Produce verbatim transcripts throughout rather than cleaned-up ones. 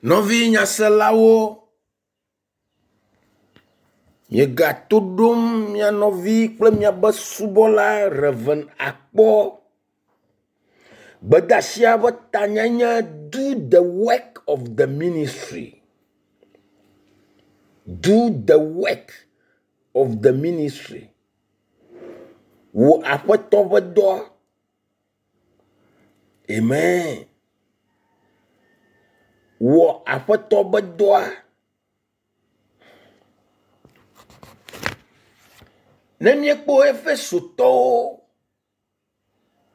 Nɔvi nyaselawo, miegato ɖom mia nɔvi kple miabe subɔla Rev. Akpɔ. Gbedeasia ƒe tanyae nye do the work of the ministry. Do the work of the ministry. Wɔ aƒetɔ ƒe dɔ. Amen. Wɔ aƒetɔ ƒe dɔa. Ne míekpɔ Efesotɔwo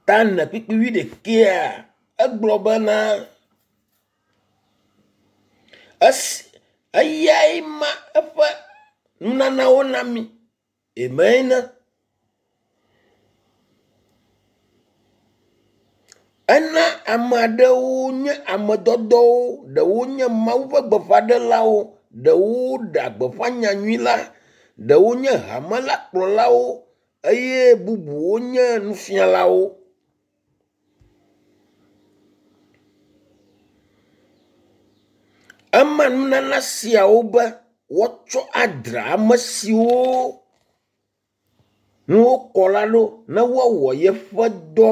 ta ene kpukpui wuiɖekɛa, egblɔ bena esi eyae ma eƒe nunanawo na mí. Amen. Ena ame aɖewo nye ame dɔdɔwo, ɖewo nye Mawu ƒe gbeƒãɖelawo, ɖewo ɖea gbeƒã nyanyui la, ɖewo nye hame la kplɔlawo eye bubuwo nye nufialawo. Ema nunana siawo be woatsɔ adzra ame siwo ŋu wokɔ la ɖo ne woawɔ yeƒe dɔ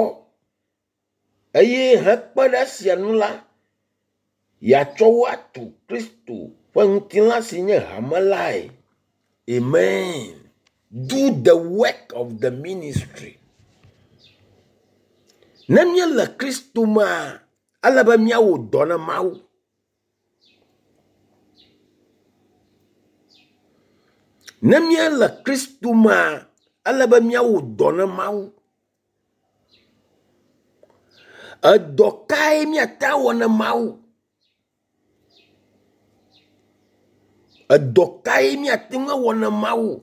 eye hekpe ɖe esia ŋu la, yeatsɔ wo atu Kristo ƒe ŋutilã si nye hame lae. Amen. Do the work of the ministry. Ne míele Kristo mea, ele be míawɔ dɔ na Mawu. Ne míele Kristo mea, ele be míawɔ dɔ na Mawu. Edɔ kae míate awɔ na Mawu? Edɔ kae míate ŋu awɔ na Mawu?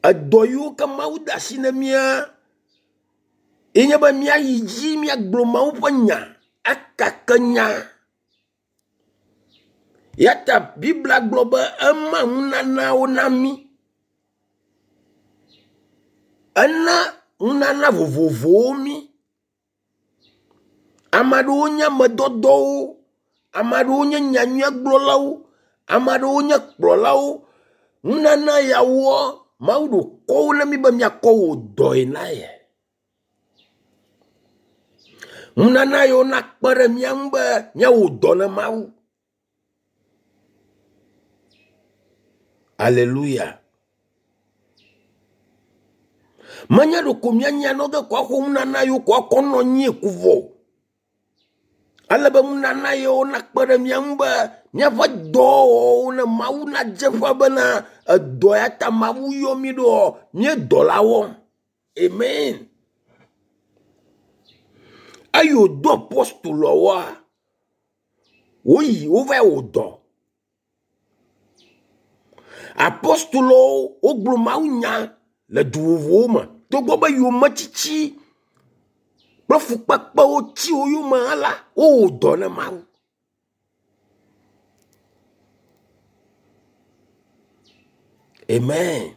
Edɔ yiwo ke Mawu de asi na mía ye nye be míayi dzi míagblɔ Mawu ƒe nya, akake nya. Ya ta Biblia gblɔ be ema nunanawo na mí. Ena nunana vovovowo mí. Ame aɖewo nye ame dɔdɔwo, ame aɖewo nye nyanyuiegblɔlawo, ame aɖewo nye kplɔlawo. Nunana yawoa, Mawu ɖo kɔ wo na mí be míakɔ wɔ dɔe na ye. Nunana yiwo nakpe ɖe mía ŋu be míawɔ dɔ na Mawu. Aleluya. Menye ɖeko míanya nɔ ge ko axɔ nunana yiwo ko akɔ nɔ anyi ko vɔ o. Ele be nunana yiwo nakpe ɖe mía ŋu be míaƒe dɔwɔwɔwo ne Mawu nadze ƒã bena edɔ ya ta Mawu yɔ mí ɖoa, mía dɔ la wɔm. Amen. Eyi wòdo apostoloawoa, woyi wova wɔ dɔ. Apostolowo wogblɔ Mawu nya le du vovovowo me togbɔ be yometsitsi kple fukpekpewo tsi wo yome hã la, wowɔ dɔ na Mawu. Amen.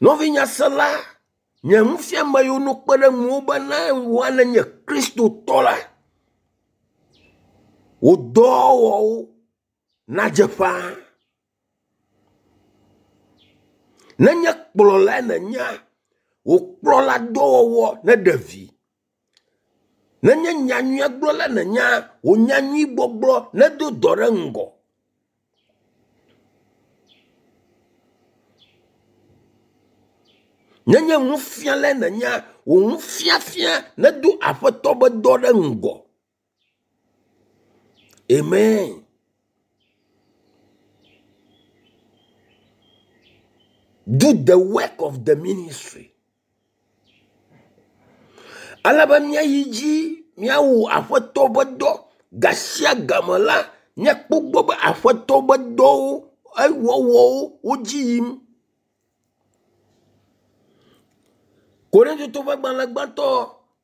Nɔvi nyasela, nye nufiame yiwo no kpe ɖe ŋuwò be ne wòa nenye Kristotɔ la, wò dɔwɔwɔwo nadze ƒãa. Nenye kplɔlae nènyea, wò kplɔla dɔwɔwɔ neɖe vi. Nenye nyanyuiegblɔla nènyea, wò nyanyuigbɔgblɔ nedo dɔ ɖe ŋgɔ. Nenye nufialae nènyea, wò nufiafia nedo aƒetɔ ƒe dɔ ɖe ŋgɔ. Amen. Do the work of the ministry. Ale be míayi dzi míawɔ aƒetɔ ƒe dɔ gasia game la, míakpɔ gbɔ be aƒetɔ ƒe dɔwo ewɔwɔwo wo dzi yim. Korintotɔwo ƒe agbalẽ gbãtɔ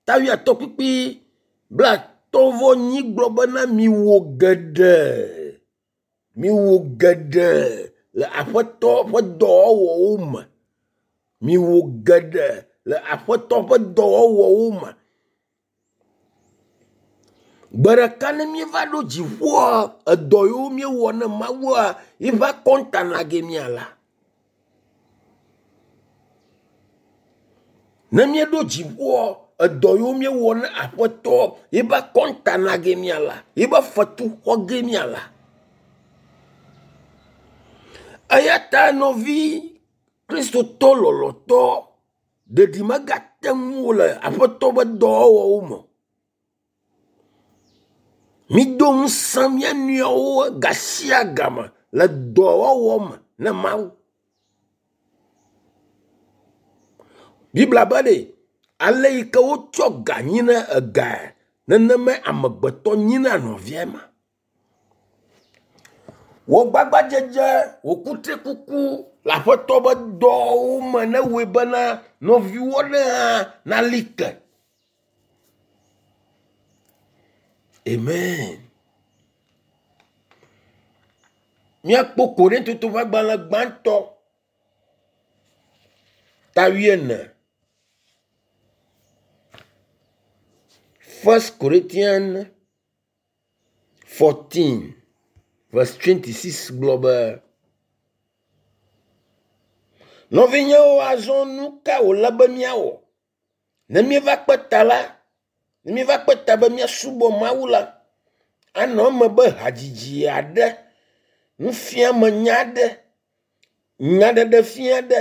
ta wuiatɔ̃ kpukpui blaatɔ̃ vɔ enyi gblɔ bena miwɔ geɖe, miwɔ geɖe le aƒetɔ ƒe dɔwɔwɔwo me. Miwɔ geɖe le aƒetɔ ƒe dɔwɔwɔwo me. Gbe ɖeka ne míeva ɖo dziƒoa, edɔ yiwo míewɔ ne Mawua, yiƒe akɔnta na ge míala. Ne míeɖo dziƒoa, edɔ yiwo míewɔ ne Aƒetɔ, yiƒe akɔnta na ge míala, yiƒe fetu xɔ ge míala. Eya ta nɔvi Kristotɔ lɔlɔ̃tɔ, ɖeɖi megate ŋuwò le Aƒetɔ ƒe dɔwɔwɔwo me o. Mido ŋusẽ mia nɔewo gasia game le dɔwɔwɔ me ne Mawu. Biblia be ɖe, ale yi ke wotsɔ ga nyina egae, nenemae amegbetɔ nyina nɔvia ma. Wò gbagbadzedze, wò kutrikuku le Aƒetɔ ƒe dɔwo me newɔe bena nɔviwò aɖe hã nali ke. Amen. Míakpɔ Korintoto ƒe agbalẽ gbãtɔ ta wuiene. First Corinthians fourteen verse twenty-six gblɔ be, nɔvinyewo, azɔ nu ka wòle be míawɔ? Ne míeva kpe ta la, ne míeva kpe ta be míasubɔ Mawu la, anɔ eme be hadzidzi aɖe, nufiamenya aɖe, nyaɖeɖefia aɖe,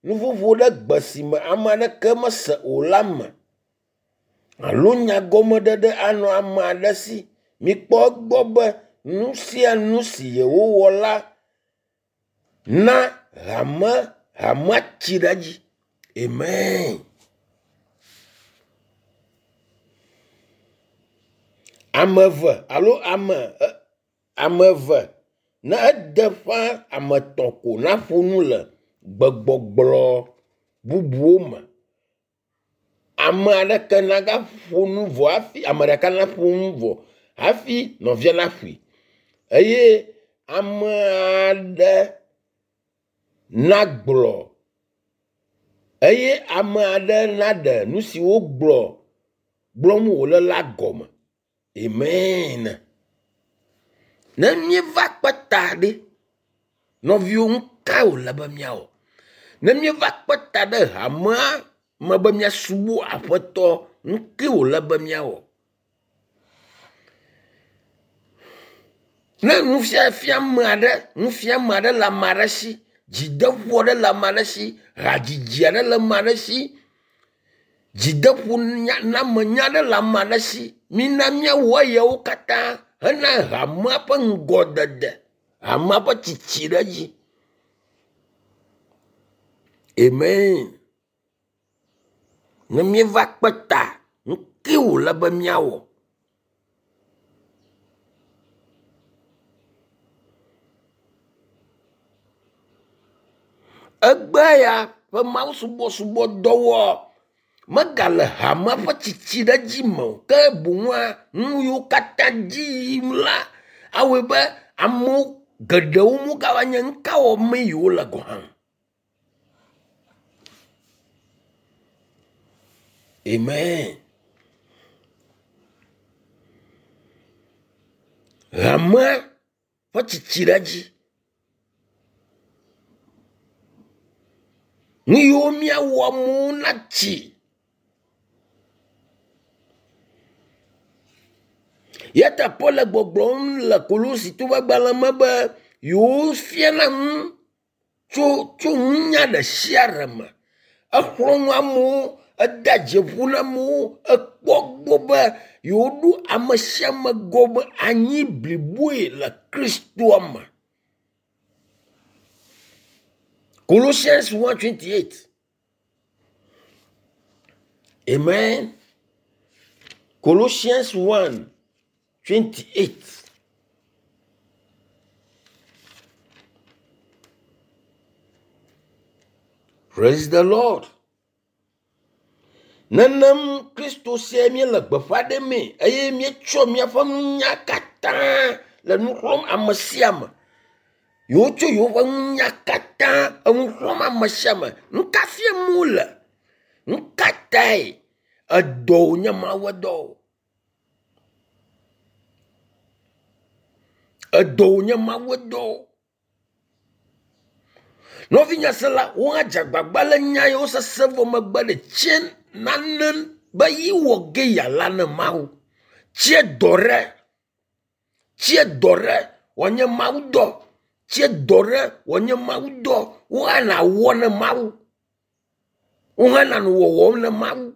nuƒoƒo ɖe gbe si me ame aɖeke mese o la me, alo nyagɔmeɖeɖe anɔ ame aɖe si. Mikpɔ egbɔ be nu sia nu si yewowɔ la na hame hamea tsi ɖe edzi. Amen. Ame eve alo ame ame eve ne ede ƒã ame etɔ̃ ko naƒo nu le gbegbɔgblɔ bubuwo me. Ame aɖeke nagaƒo nu vɔ hafi ame ɖeka naƒo nu vɔ hafi nɔvia naƒoe. Eye ame aɖe nagblɔ eye ame aɖe naɖe nu si wogblɔ gblɔm wòle la gɔme. Amen. Ne míeva kpe ta ɖe, nɔviwo, nu ka wòle be míawɔ? Ne míeva kpe ta ɖe hamea me be míasubɔ Aƒetɔ, nu kae wòle be míawɔ? Ne nufiafia ame aɖe, nufiame aɖe le ame aɖe si, dzideƒo aɖe le ame aɖe si, hadzidzi aɖe le ame aɖe si, dzideƒo namenya aɖe le ame aɖe si, mina míawɔ eyawo katã hena hamea ƒe ŋgɔdede, hamea ƒe tsitsi ɖe edzi. Amen. Ne míeva kpe ta, nu kae wòle be míawɔ? Egbe ya ƒe mawusubɔsubɔdɔwɔ megale hamea ƒe tsitsi ɖe edzi me o, ke boŋua nu yiwo katã dzi yim la awɔe be amewo geɖewo megava nye nu ka wɔmee yewole gɔ̃ hã. Amen. Hamea ƒe tsitsi ɖe edzi. Nu yiwo míawɔ amewo natsi. Ya ta Paul le gbɔgblɔm le Kolositɔwo ƒe agbalẽ me be yewo fiana nu tso tso nunya ɖe sia ɖe me. Exlɔ̃ nu amewo, ede dzi ƒo na amewo, ekpɔ gbɔ be yewoɖo ame sia ame gɔme anyi bliboe le Kristoa me. Colossians one twenty-eight. Amen. Colossians one twenty-eight. Praise the Lord. Nenem Kristo sia míele gbeƒã ɖemee eye míetsɔ míaƒe nunya katã le nu xlɔ̃m ame sia ame. Yewotsɔ yewoƒe nunya katã enu xlɔ̃m ame sia ame. Nu ka fiam wole? Nu ka tae edɔ wònye Mawu dɔ o? Edɔ wònye Mawu dɔ. Nɔvinye sela, wo hã dze agbagba le nya yawo sese vɔ megbe ɖe tsie nane be yi wɔ ge yeala ne Mawu. Tsie dɔ ɖe, tsie dɔ ɖe wòanye Mawu dɔ. Tsie dɔ ɖe wòanye Mawu dɔ. Wo hã nawɔ ne Mawu. Wo hã nanɔ wɔwɔm ne Mawu.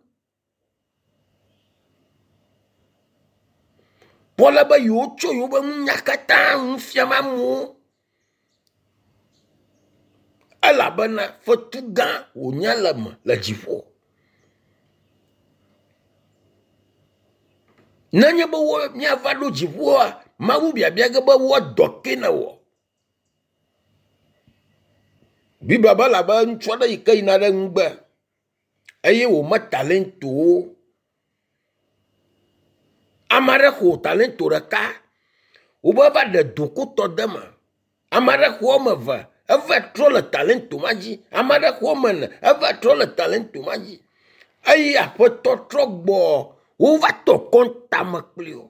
Paul be yewotso yewoƒe nunya katã nu fiam amewo. Elabena fetu gã wònye le me le dziƒo. Nenye be wo míava ɖo dziƒoa, Mawu biabia ge be woa dɔ ke ne wɔ. Biblia be elabe ŋutsu aɖe yi ke yina ɖe ŋugbe eye wòme talentowo. Ame aɖe xɔ talento ɖeka, wobe va ɖe dokotɔ de eme. Ame aɖe xɔ woame eve, eva trɔ le talento ma dzi. Ame aɖe xɔ woame ene, eva trɔ le talento ma dzi. Eye aƒetɔ trɔ gbɔ, wova tɔ kɔntame kpli wo.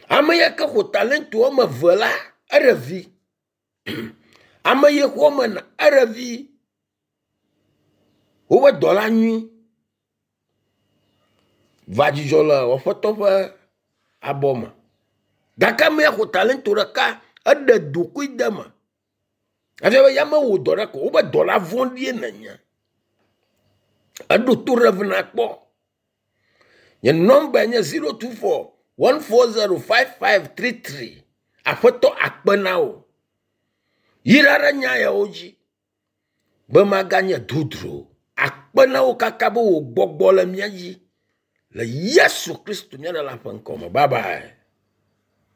Ame ya ke xɔ talento woame eve la, eɖe vi. Ame yi xɔ woame ene, eɖe vi. Woƒe dɔla nyui va dzidzɔ le aƒetɔ ƒe abɔ me. Gake ame ya xɔ talento ɖeka, eɖe dokui de eme. Efia be ya mewɔ dɔ ɖe ko, wobe dɔla vɔ̃ɖie nenye. Eɖo to ɖe vena kpɔ. Nye nɔmba nye zero two four one four zero five five three three. Aƒetɔ akpe na wò. Yra ɖe nya yawo dzi be maganye dodro. Akpe na wò kaka be wò gbɔgbɔ le mía dzi. Le Yesu Kristo mía Ɖela ƒe ŋkɔ me. Bye bye.